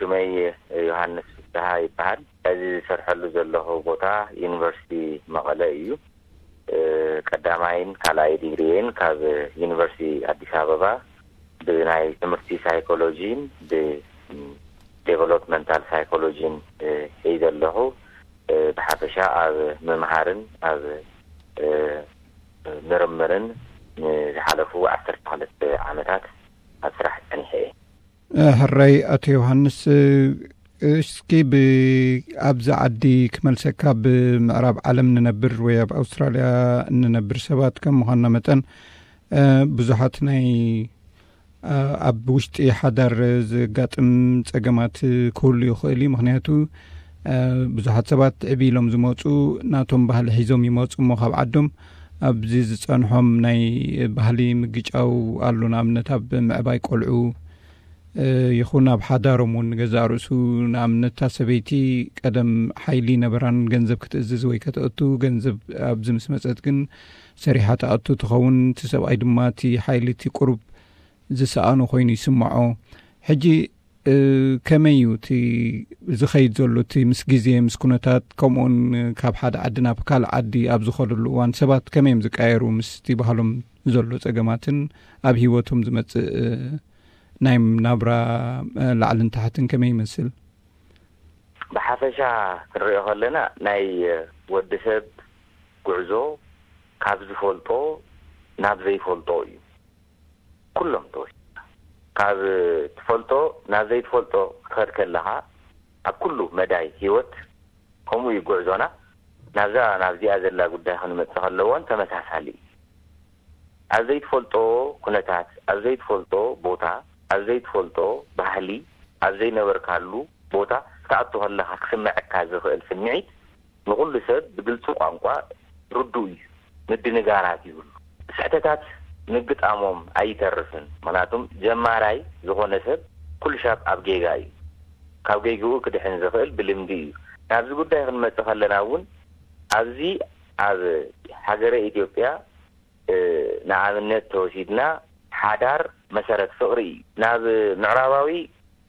ስመይ ዮሃንስ ፍስሃ ይበሃል። እዚ ዝሰርሐሉ ዘለኹ ቦታ ዩኒቨርሲቲ መቐለ እዩ። ቀዳማይን ካልኣይ ዲግሪየን ካብ ዩኒቨርሲቲ ኣዲስ ኣበባ ብናይ ትምህርቲ ሳይኮሎጂን ብዴቨሎፕመንታል ሳይኮሎጂን ሒዘ ኣለኹ። ብሓፈሻ ኣብ ምምሃርን ኣብ ምርምርን ንዝሓለፉ ዓሰርተ ክልተ ዓመታት ኣብ ስራሕ ጸኒሐ እየ። ሕራይ ኣቶ ዮሃንስ፣ እስኪ ብ ኣብዚ ዓዲ ክመልሰካ፣ ኣብ ምዕራብ ዓለም ንነብር ወይ ኣብ ኣውስትራልያ እንነብር ሰባት ከም ምዃንና መጠን፣ ብዙሓት ናይ ኣብ ውሽጢ ሓዳር ዘጋጥም ጸገማት ክህሉ ይኽእል እዩ። ምኽንያቱ ብዙሓት ሰባት ዕብ ኢሎም ዝመፁ፣ ናቶም ባህሊ ሒዞም ይመፁ እሞ፣ ካብ ዓዶም ኣብዚ ዝጸንሖም ናይ ባህሊ ምግጫው ኣሎ። ንኣብነት ኣብ ምዕባይ ቆልዑ ይኹን ኣብ ሓዳሮም እውን ገዛእ ርእሱ፣ ንኣብነት እታ ሰበይቲ ቀደም ሓይሊ ነበራን ገንዘብ ክትእዝዝ ወይ ከተእቱ፣ ገንዘብ ኣብዚ ምስ መጸት ግን ሰሪሓ ትኣቱ ትኸውን። እቲ ሰብኣይ ድማ እቲ ሓይሊ እቲ ቁሩብ ዝሰኣኖ ኮይኑ ይስምዖ። ሕጂ ከመይ እዩ እቲ ዝኸይድ ዘሎ፣ እቲ ምስ ግዜ ምስ ኩነታት፣ ከምኡውን ካብ ሓደ ዓዲ ናብ ካልእ ዓዲ ኣብ ዝኸደሉ እዋን ሰባት ከመይ እዮም ዝቀየሩ? ምስቲ ባህሎም ዘሎ ጸገማትን ኣብ ህይወቶም ዝመጽእ ናይ ናብራ ላዕልን ታሕትን ከመይ ይመስል? ብሓፈሻ ክንሪኦ ከለና፣ ናይ ወዲ ሰብ ጉዕዞ ካብ ዝፈልጦ ናብ ዘይፈልጦ እዩ። ኩሎም ተወሲድካ ካብ ትፈልጦ ናብ ዘይትፈልጦ ክትኸድ ከለኻ፣ ኣብ ኩሉ መዳይ ህይወት ከምኡ እዩ ጉዕዞና። ናብዛ ናብዚኣ ዘላ ጉዳይ ክንመጽእ ከለዎን ተመሳሳሊ እዩ። ኣብ ዘይትፈልጦ ኩነታት፣ ኣብ ዘይትፈልጦ ቦታ፣ ኣብ ዘይትፈልጦ ባህሊ፣ ኣብ ዘይነበርካሉ ቦታ ክትኣቱ ከለኻ ክስምዐካ ዝኽእል ስምዒት ንኹሉ ሰብ ብግልጺ ቋንቋ ርዱእ እዩ። ምድንጋራት ይብሉ። ስሕተታት ምግጣሞም ኣይተርፍን። ምኽንያቱም ጀማራይ ዝኾነ ሰብ ኩሉ ሻብ ኣብ ጌጋ እዩ። ካብ ጌግኡ ክድሕን ዝኽእል ብልምዲ እዩ። ናብዚ ጉዳይ ክንመጽእ ከለና እውን፣ ኣብዚ ኣብ ሃገረ ኢትዮጵያ ንኣብነት ተወሲድና፣ ሓዳር መሰረት ፍቕሪ እዩ። ናብ ምዕራባዊ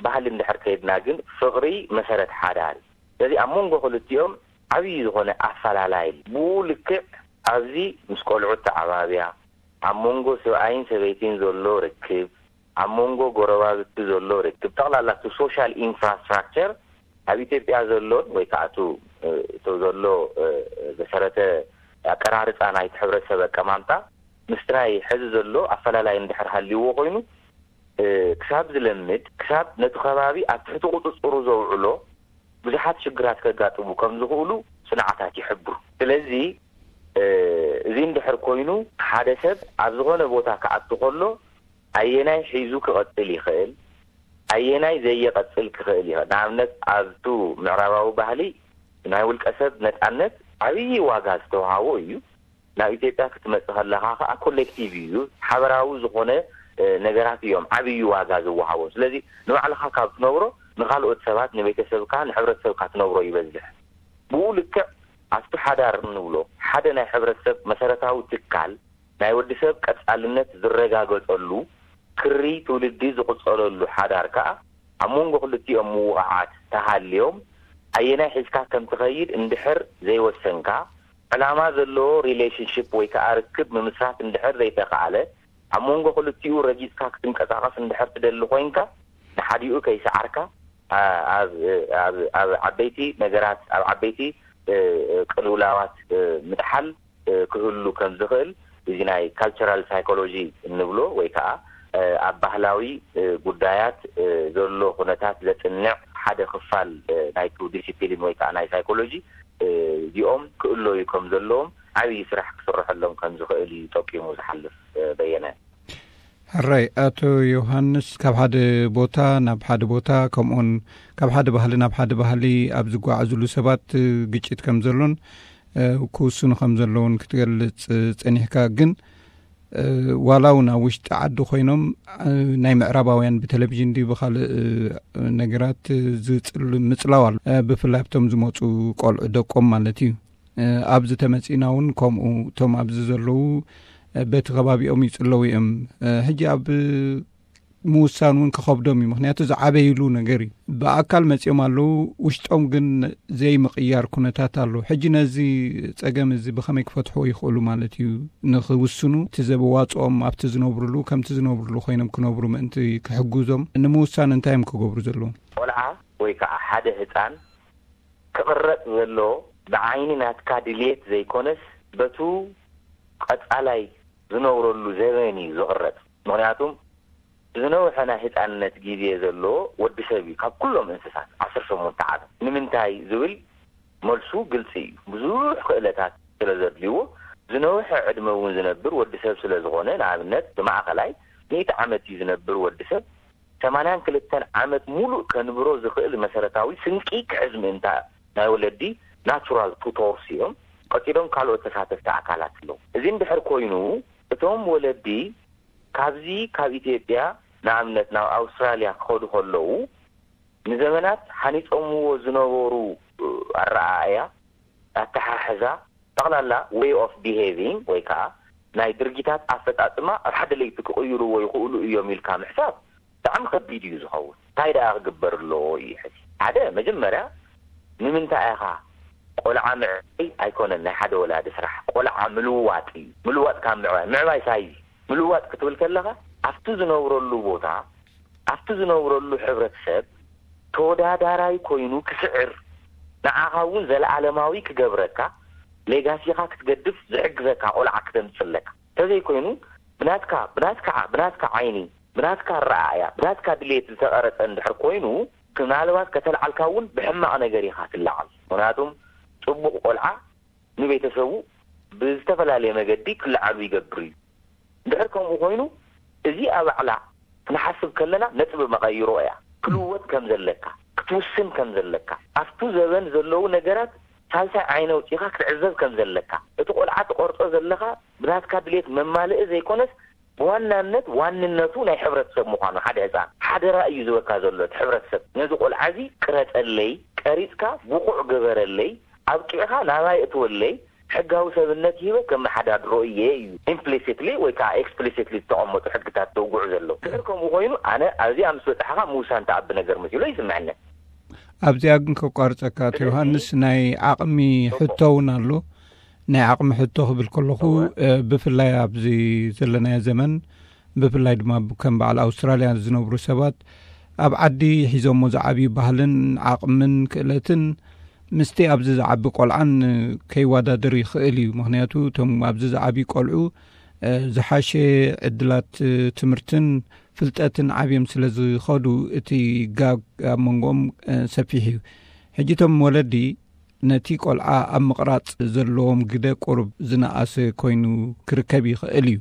ባህሊ እንድሕር ከይድና ግን፣ ፍቕሪ መሰረት ሓዳር እዩ። ስለዚ ኣብ መንጎ ክልቲኦም ዓብዪ ዝኾነ ኣፈላላይ ኣሎ። ብኡ ልክዕ ኣብዚ ምስ ቆልዑ ኣተዓባብያ፣ ኣብ መንጎ ሰብኣይን ሰበይትን ዘሎ ርክብ፣ ኣብ መንጎ ጎረባብቲ ዘሎ ርክብ፣ ጠቕላላ እቲ ሶሻል ኢንፍራስትራክቸር ኣብ ኢትዮጵያ ዘሎን ወይ ከዓ እቱ፣ እ፣ እቶ ዘሎ፣ እ፣ ዘሰረተ ኣቀራርፃ ናይቲ ሕብረተሰብ ኣቀማምጣ ምስቲ ናይ ሕዚ ዘሎ ኣፈላላይ እንድሕር ሃልይዎ ኮይኑ፣ እ፣ ክሳብ ዝለምድ፣ ክሳብ ነቲ ከባቢ ኣብ ትሕቲ ቁፅፅሩ ዘውዕሎ ብዙሓት ሽግራት ከጋጥሙ ከም ዝኽእሉ ፅንዓታት ይሕብሩ። ስለዚ፣ እ፣ እዚ እንድሕር ኮይኑ፣ ሓደ ሰብ ኣብ ዝኾነ ቦታ ክኣቱ ከሎ ኣየናይ ሒዙ ክቐጽል ይኽእል፣ ኣየናይ ዘየቐጽል ክኽእል ይኽእል። ንኣብነት፣ ኣብቱ ምዕራባዊ ባህሊ ናይ ውልቀ ሰብ ነጻነት ዓብዪ ዋጋ ዝተውሃቦ እዩ። ናብ ኢትዮጵያ ክትመጽእ ከለኻ ከኣ ኮሌክቲቭ እዩ፣ ሓበራዊ ዝኾነ፣ እ፣ ነገራት እዮም ዓብዪ ዋጋ ዝወሃቦ። ስለዚ ንባዕልኻ ካብ ትነብሮ፣ ንኻልኦት ሰባት፣ ንቤተሰብካ፣ ንሕብረተሰብካ ትነብሮ ይበዝሕ። ብኡ ልክዕ ኣብቲ ሓዳር እንብሎ ሓደ ናይ ሕብረተሰብ መሰረታዊ ትካል ናይ ወዲ ሰብ ቀጻልነት ዝረጋገጸሉ ክሪ ትውልዲ ዝቕጸለሉ ሓዳር ከኣ ኣብ መንጎ ክልቲኦም ምውቕዓት ተሃልዮም ኣየናይ ሒዝካ ከም ትኸይድ እንድሕር ዘይወሰንካ፣ ዕላማ ዘለዎ ሪሌሽንሺፕ ወይ ከኣ ርክብ ምምስራት እንድሕር ዘይተኻእለ፣ ኣብ መንጎ ክልቲኡ ረጊጽካ ክትንቀሳቐስ እንድሕር ትደሊ ኮይንካ፣ ንሓዲኡ ከይሰዓርካ፣ ኣ-፣ ኣብ፣ ኣብ፣ ኣብ ዓበይቲ ነገራት፣ ኣብ ዓበይቲ፣ እ፣ ቅልውላዋት፣ እ፣ ምጥሓል፣ እ፣ ክህሉ ከም ዝኽእል፣ እዚ ናይ ካልቸራል ሳይኮሎጂ እንብሎ ወይ ከኣ፣ እ፣ ኣብ ባህላዊ፣ እ፣ ጉዳያት፣ እ፣ ዘሎ ኩነታት ዘጽንዕ ሓደ ክፋል፣ እ፣ ናይቱ ዲሲፕሊን ወይ ከኣ ናይ ሳይኮሎጂ፣ እ፣ እዚኦም ክእለዩ ከም ዘለዎም ዓብዪ ስራሕ ክስርሐሎም ከም ዝኽእል እዩ ጠቂሙ ዝሓልፍ፣ እ፣ በየነ። ሕራይ ኣቶ ዮሃንስ፣ ካብ ሓደ ቦታ ናብ ሓደ ቦታ፣ ከምኡውን ካብ ሓደ ባህሊ ናብ ሓደ ባህሊ ኣብ ዝጓዓዙሉ ሰባት ግጭት ከም ዘሎን፣ እ፣ ክውስኑ ከም ዘለውን ክትገልጽ ጸኒሕካ። ግን፣ እ፣ ዋላ እውን ኣብ ውሽጢ ዓዲ ኮይኖም፣ እ፣ ናይ ምዕራባውያን ብቴሌቪዥን ድዩ ብኻልእ፣ እ፣ ነገራት ዝጽል-፣ ምጽላው ኣሎ። እ፣ ብፍላይ ኣብቶም ዝመጹ ቆልዑ ደቆም ማለት እዩ። እ፣ ኣብዚ ተመጺእና እውን ከምኡ፣ እቶም ኣብዚ ዘለዉ፣ እ፣ በቲ ከባቢኦም ይጽለዉ እዮም። እ፣ ሕጂ ኣብ ምውሳን እውን ክኸብዶም እዩ። ምኽንያቱ ዝዓበይሉ ነገር እዩ። ብኣካል መጺኦም ኣለዉ፣ ውሽጦም ግን ዘይምቕያር ኩነታት ኣሎ። ሕጂ ነዚ ጸገም እዚ ብኸመይ ክፈትሕዎ ይኽእሉ ማለት እዩ? ንኽውስኑ እቲ ዘበዋጽኦም ኣብቲ ዝነብሩሉ ከምቲ ዝነብሩሉ ኮይኖም ክነብሩ ምእንቲ ክሕግዞም ንምውሳን እንታይ እዮም ክገብሩ ዘለዎም? ቆልዓ ወይ ከዓ ሓደ ህፃን ክቕረፅ ዘለዎ ብዓይኒ ናትካ ድልየት ዘይኮነስ በቱ ቀፃላይ ዝነብረሉ ዘበን እዩ ዝቕረፅ። ምኽንያቱም ዝነውሐ ናይ ህፃንነት ግዜ ዘለዎ ወዲ ሰብ እዩ ካብ ኩሎም እንስሳት ዓሰርተ ሸሞንተ ዓመት። ንምንታይ ዝብል መልሱ ግልፂ እዩ። ብዙሕ ክእለታት ስለ ዘድልይዎ ዝነውሐ ዕድመ እውን ዝነብር ወዲ ሰብ ስለ ዝኾነ፣ ንኣብነት ብማእኸላይ ሚእቲ ዓመት እዩ ዝነብር ወዲ ሰብ፣ ሰማንያን ክልተን ዓመት ሙሉእ ከንብሮ ዝኽእል መሰረታዊ ስንቂ ክሕዝ ምእንታ ናይ ወለዲ ናቹራል ቱቶርስ እዮም። ቀፂሎም ካልኦት ተሳተፍቲ ኣካላት ኣለዉ። እዚ እንድሕር ኮይኑ እቶም ወለዲ ካብዚ ካብ ኢትዮጵያ ንኣብነት ናብ ኣውስትራልያ ክኸዱ ከለዉ ንዘመናት ሃኒፆምዎ ዝነበሩ ኣረኣእያ፣ ኣተሓሕዛ፣ ጠቕላላ way of behaving ወይ ከዓ ናይ ድርጊታት ኣፈፃፅማ ኣብ ሓደ ለይቲ ክቕይርዎ ይኽእሉ እዮም ኢልካ ምሕሳብ ብጣዕሚ ከቢድ እዩ ዝኸውን። እንታይ ደኣ ክግበር ኣለዎ እዩ ሕዚ? ሓደ መጀመርያ ንምንታይ ኢኻ ቆልዓ ምዕባይ ኣይኮነን ናይ ሓደ ወላዲ ስራሕ፣ ቆልዓ ምልዋጥ እዩ። ምልዋጥ ካብ ምዕባይ፣ ምዕባይ ሳይዝ ምልዋጥ ክትብል ከለኻ ኣብቲ ዝነብረሉ ቦታ ኣብቲ ዝነብረሉ ሕብረተሰብ ተወዳዳራይ ኮይኑ ክስዕር፣ ንዓኻ እውን ዘለኣለማዊ ክገብረካ፣ ሌጋሲኻ ክትገድፍ ዝሕግዘካ ቆልዓ ክተምፅእ ኣለካ። እንተዘይኮይኑ ብናትካ ብናትካ ብናትካ ዓይኒ፣ ብናትካ ኣረኣእያ፣ ብናትካ ድሌት ዝተቐረፀ እንድሕር ኮይኑ፣ ምናልባት ከተልዓልካ እውን ብሕማቕ ነገር ኢኻ ትለዓል። ምክንያቱም ፅቡቕ ቆልዓ ንቤተሰቡ ብዝተፈላለየ መገዲ ክለዓሉ ይገብር እዩ። እንድሕር ከምኡ ኮይኑ፣ እዚኣ ባዕላ ክንሓስብ ከለና ነጥቢ መቐይሮ እያ። ክልወጥ ከም ዘለካ፣ ክትውስን ከም ዘለካ፣ ኣብቱ ዘበን ዘለዉ ነገራት ሳልሳይ ዓይነ ኣውፂኻ ክትዕዘብ ከም ዘለካ፣ እቲ ቆልዓ ትቆርፆ ዘለኻ ብናትካ ድሌት መማልኢ ዘይኮነስ ብዋናነት ዋንነቱ ናይ ሕብረተሰብ ምዃኑ፣ ሓደ ህፃን ሓደራ እዩ ዝበካ ዘሎ። እቲ ሕብረተሰብ ነዚ ቆልዓ እዚ ቅረፀለይ፣ ቀሪፅካ ብቑዕ ግበረለይ፣ ኣብቂዕኻ ናባይ እትወለይ፣ ሕጋዊ ሰብነት ሂበ ከመሓዳድሮ እየ እዩ ኢምፕሊሲትሊ ወይ ከዓ ኤክስፕሊሲትሊ ዝተቐመጡ ሕግታት ዘውግዑ ዘለዉ። ድሕር ከምኡ ኮይኑ ኣነ ኣብዚኣ ምስ በፃሕኻ ምውሳን ተኣቢ ነገር መሲሎ ይስምዐኒ። ኣብዚኣ ግን ከቋርፀካ ኣቶ ዮሃንስ፣ ናይ ዓቕሚ ሕቶ እውን ኣሎ። ናይ ዓቕሚ ሕቶ ክብል ከለኹ፣ ብፍላይ ኣብዚ ዘለናዮ ዘመን፣ ብፍላይ ድማ ከም በዓል ኣውስትራልያ ዝነብሩ ሰባት ኣብ ዓዲ ሒዞሞ ዝዓብዩ ባህልን ዓቕምን ክእለትን ምስቲ ኣብዚ ዝዓቢ ቆልዓን ከይወዳደር ይኽእል እዩ። ምኽንያቱ እቶም ኣብዚ ዝዓብዩ ቆልዑ ዝሓሸ ዕድላት ትምህርትን ፍልጠትን ዓብዮም ስለ ዝኸዱ፣ እቲ ጋግ ኣብ መንጎኦም ሰፊሕ እዩ። ሕጂ እቶም ወለዲ ነቲ ቆልዓ ኣብ ምቕራጽ ዘለዎም ግደ ቁሩብ ዝነኣሰ ኮይኑ ክርከብ ይኽእል እዩ።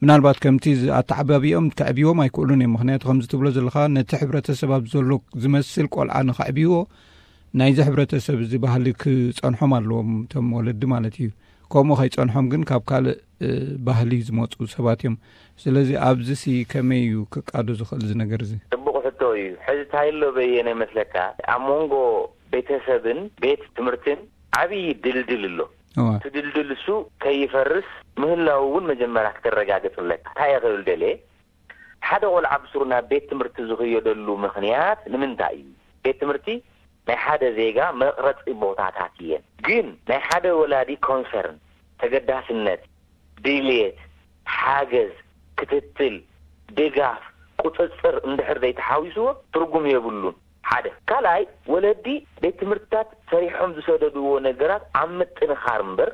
ምናልባት ከምቲ ኣተዓባቢኦም ከዕብይዎም ኣይክእሉን እዮም። ምኽንያቱ ከምዚ ትብሎ ዘለኻ ነቲ ሕብረተሰብ ኣብ ዘሎ ዝመስል ቆልዓ ንኸዕብይዎ ናይዚ ሕብረተሰብ እዚ ባህሊ ክጸንሖም ኣለዎም እቶም ወለዲ ማለት እዩ። ከምኡ ከይጸንሖም ግን ካብ ካልእ ባህሊ ዝመፁ ሰባት እዮም። ስለዚ ኣብዚሲ ከመይ እዩ ክቃዶ ዝኽእል እዚ ነገር እዚ? ፅቡቕ ሕቶ እዩ። ሕዚ እንታይ ኣሎ በየነ መስለካ፣ ኣብ መንጎ ቤተሰብን ቤት ትምህርትን ዓብዪ ድልድል ኣሎ። እቲ ድልድል እሱ ከይፈርስ ምህላው እውን መጀመርያ ክተረጋግፅ ኣለካ። እንታይ እየ ክብል ደልየ፣ ሓደ ቆልዓ ብስሩ ናብ ቤት ትምህርቲ ዝኽየደሉ ምኽንያት ንምንታይ እዩ? ቤት ትምህርቲ ናይ ሓደ ዜጋ መቕረፂ ቦታታት እየን። ግን ናይ ሓደ ወላዲ ኮንሰርን፣ ተገዳስነት፣ ድልየት፣ ሓገዝ፣ ክትትል፣ ድጋፍ፣ ቁፅፅር እንድሕር ዘይተሓዊስዎ ትርጉም የብሉን። ሓደ ካልኣይ፣ ወለዲ ቤት ትምህርትታት ሰሪሖም ዝሰደድዎ ነገራት ኣብ ምጥንኻር እምበር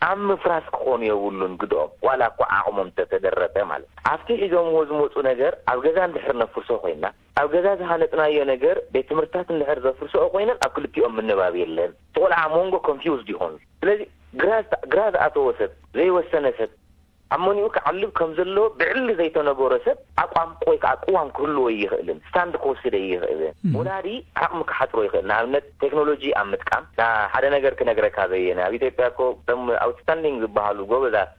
ኣብ ምፍራስ ክኾኑ የብሉን ግድኦም፣ ዋላ እኳ ዓቕሞም እንተተደረተ ማለት። ኣብቲ ሒዞምዎ ዝመፁ ነገር ኣብ ገዛ እንድሕር ነፍርሶ ኮይና፣ ኣብ ገዛ ዝሃነፅናዮ ነገር ቤት ትምህርትታት እንድሕር ዘፍርሶ ኮይነን ኣብ ክልቲኦም ምንባብ የለን። እቲ ቆልዓ ኣብ መንጎ ኮንፊውዝድ ይኾኑ። ስለዚ ግራ ዝኣ- ግራ ዝኣተወ ሰብ፣ ዘይወሰነ ሰብ፣ ኣብ መንኡ ክዓልብ ከም ዘለዎ ብዕሊ ዘይተነገሮ ሰብ ኣቋም ወይ ከዓ ቅዋም ክህልዎ ይኽእልን ስታንድ ክወስደ ይኽእልን። ወላዲ ዓቕሚ ክሓፅሮ ይኽእል። ንኣብነት ቴክኖሎጂ ኣብ ምጥቃም፣ ሓደ ነገር ክነግረካ በየነ፣ ኣብ ኢትዮጵያ እኮ እቶም ኣውትስታንዲንግ ዝበሃሉ ጎበዛት፣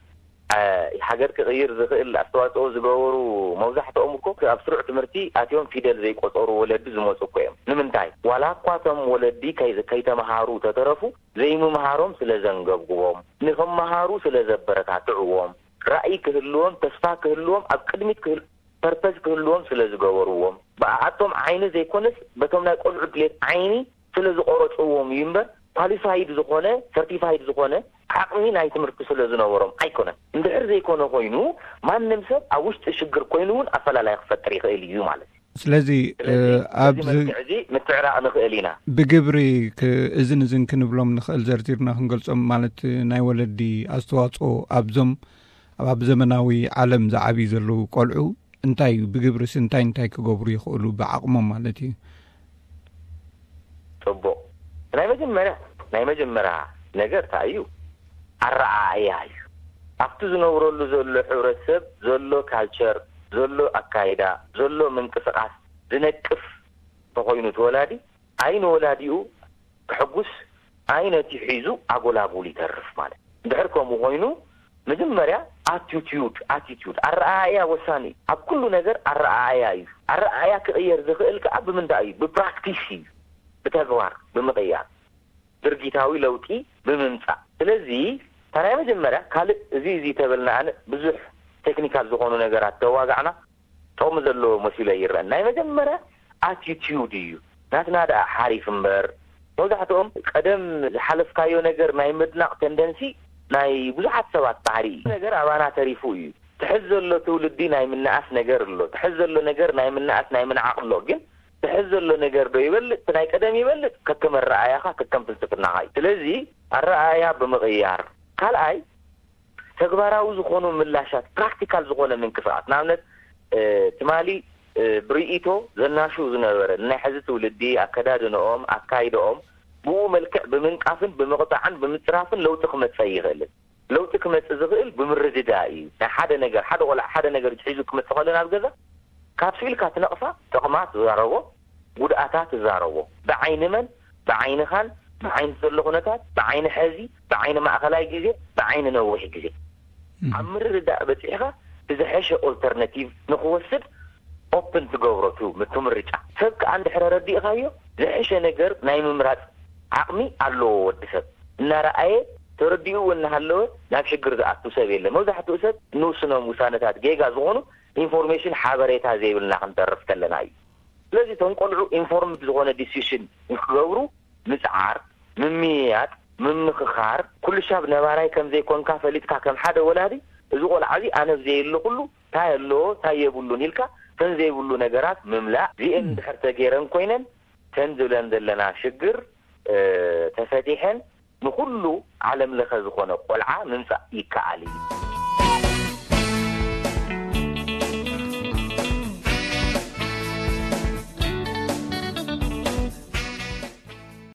ሃገር ክቕይር ዝኽእል ኣስተዋፅኦ ዝገበሩ መብዛሕትኦም እኮ ኣብ ስሩዕ ትምህርቲ ኣትዮም ፊደል ዘይቆፀሩ ወለዲ ዝመፁ እኮ እዮም። ንምንታይ? ዋላ እኳ እቶም ወለዲ ከይ- ከይተምሃሩ ተተረፉ፣ ዘይምምሃሮም ስለ ዘንገብግቦም፣ ንኽመሃሩ ስለ ዘበረታትዕዎም፣ ራእይ ክህልዎም፣ ተስፋ ክህልዎም፣ ኣብ ቅድሚት ክህል- ፐርፐዝ ክህልዎም ስለ ዝገበርዎም፣ ብኣቶም ዓይኒ ዘይኮነስ በቶም ናይ ቆልዑ ድሌት ዓይኒ ስለ ዝቆረፅዎም እዩ እምበር፣ ኳሊፋይድ ዝኾነ፣ ሰርቲፋይድ ዝኾነ ዓቕሚ ናይ ትምህርቲ ስለ ዝነበሮም ኣይኮነን። እንድሕር ዘይኮነ ኮይኑ፣ ማንም ሰብ ኣብ ውሽጢ ሽግር ኮይኑ እውን ኣፈላላይ ክፈጥር ይኽእል እዩ ማለት እዩ። ስለዚ ስለዚ በዚ ኣብዚ መልክዕ እዚ ምትዕራቕ ንኽእል ኢና። ብግብሪ ክ- እዝን እዝን ክንብሎም ንኽእል፣ ዘርዚርና ክንገልጾም ማለት፣ ናይ ወለዲ ኣስተዋጽኦ ኣብዞም ኣብ ዘመናዊ ዓለም ዝዓብዩ ዘለዉ ቆልዑ እንታይ እዩ? ብግብርስ እንታይ እንታይ ክገብሩ ይኽእሉ ብዓቕሞም ማለት እዩ? ፅቡቕ። ናይ መጀመርያ ናይ መጀመርያ ነገር እንታይ እዩ? ኣረኣእያ እዩ። ኣብቲ ዝነብረሉ ዘሎ ሕብረተሰብ ዘሎ ካልቸር፣ ዘሎ ኣካይዳ፣ ዘሎ ምንቅስቃስ ዝነቅፍ ተኾይኑ እቲ ወላዲ፣ ኣይ ንወላዲኡ ከሐጉስ፣ ኣይ ነቲ ሒዙ ኣጎላጉል ይተርፍ ማለት። እንድሕር ከምኡ ኮይኑ፣ መጀመርያ ኣቲቲዩድ ኣቲቲዩድ ኣረኣእያ ወሳኒ እዩ። ኣብ ኩሉ ነገር ኣረኣእያ እዩ። ኣረኣእያ ክቕየር ዝኽእል ከዓ ብምንታይ እዩ? ብፕራክቲስ እዩ። ብተግባር ብምቕያር፣ ድርጊታዊ ለውጢ ብምምፃእ። ስለዚ እታ ናይ መጀመርያ፣ ካልእ እዚ እዚ ተበልና ኣነ ብዙሕ ቴክኒካል ዝኾኑ ነገራት ተዋጋዕና ጥቕሚ ዘለዎ መሲሉ ኣይረአን። ናይ መጀመርያ ኣቲቲዩድ እዩ። ናትና ደኣ ሓሪፍ እምበር፣ መብዛሕትኦም ቀደም ዝሓለፍካዮ ነገር ናይ ምድናቕ ተንደንሲ ናይ ብዙሓት ሰባት ባህሪ እዩ። ነገር ኣባና ተሪፉ እዩ። ትሕዝ ዘሎ ትውልዲ ናይ ምንኣስ ነገር ኣሎ። ትሕዝ ዘሎ ነገር ናይ ምንኣስ ናይ ምንዓቕ ኣሎ። ግን ትሕዝ ዘሎ ነገር ዶ ይበልጥ? እቲ ናይ ቀደም ይበልጥ? ከከም ኣረኣእያኻ፣ ከከም ፍልስፍናኻ እዩ። ስለዚ ኣረኣእያ ብምቕያር፣ ካልኣይ ተግባራዊ ዝኾኑ ምላሻት፣ ፕራክቲካል ዝኾነ ምንቅስቃስ። ንኣብነት ትማሊ ብርእይቶ ዘናሹ ዝነበረ ናይ ሕዚ ትውልዲ፣ ኣከዳድንኦም፣ ኣካይድኦም ብኡ መልክዕ ብምንቃፍን ብምቕፃዕን ብምፅራፍን ለውጢ ክመፀ ይኽእልን። ለውጢ ክመፅእ ዝኽእል ብምርድዳ እዩ። ናይ ሓደ ነገር፣ ሓደ ቆልዓ ሓደ ነገር ሒዙ ክመፅእ ከሎ ናብ ገዛ፣ ካብ ስኢልካ ትነቕፋ፣ ጥቕማ ትዛረቦ፣ ጉድኣታ ትዛረቦ። ብዓይኒ መን? ብዓይንኻን፣ ብዓይኒ ዘሎ ኩነታት፣ ብዓይኒ ሕዚ፣ ብዓይኒ ማእኸላይ ግዜ፣ ብዓይኒ ነዊሕ ግዜ። ኣብ ምርድዳእ በፂሕኻ፣ ብዝሐሸ ኦልተርናቲቭ ንክወስድ ኦፕን ትገብሮ ቱ ምቱ ምርጫ። ሰብ ከዓ እንድሕረ ረዲእኻዮ፣ ዝሐሸ ነገር ናይ ምምራፅ ዓቕሚ ኣለዎ ወዲ ሰብ። እናረኣየ፣ ተረዲኡ እናሃለወ ናብ ሽግር ዝኣቱ ሰብ የለ። መብዛሕትኡ ሰብ ንውስኖም ውሳነታት ጌጋ ዝኾኑ ኢንፎርሜሽን፣ ሓበሬታ ዘይብልና ክንተርፍ ከለና እዩ። ስለዚ እቶም ቆልዑ ኢንፎርምድ ዝኾነ ዲሲሽን ንክገብሩ ምፅዓር፣ ምምይያጥ፣ ምምኽኻር፣ ኩሉ ሻብ ነባራይ ከም ዘይኮንካ ፈሊጥካ፣ ከም ሓደ ወላዲ፣ እዚ ቆልዓ እዚ ኣነ ኣብ ዘየለኹሉ እንታይ ኣለዎ እንታይ የብሉን ኢልካ፣ ተን ዘይብሉ ነገራት ምምላእ። እዚኤን እንድሕር ተገይረን ኮይነን፣ ተን ዝብለን ዘለና ሽግር ተፈቲሐን ንኹሉ ዓለም ለኸ ዝኾነ ቆልዓ ምምፃእ ይከኣል እዩ።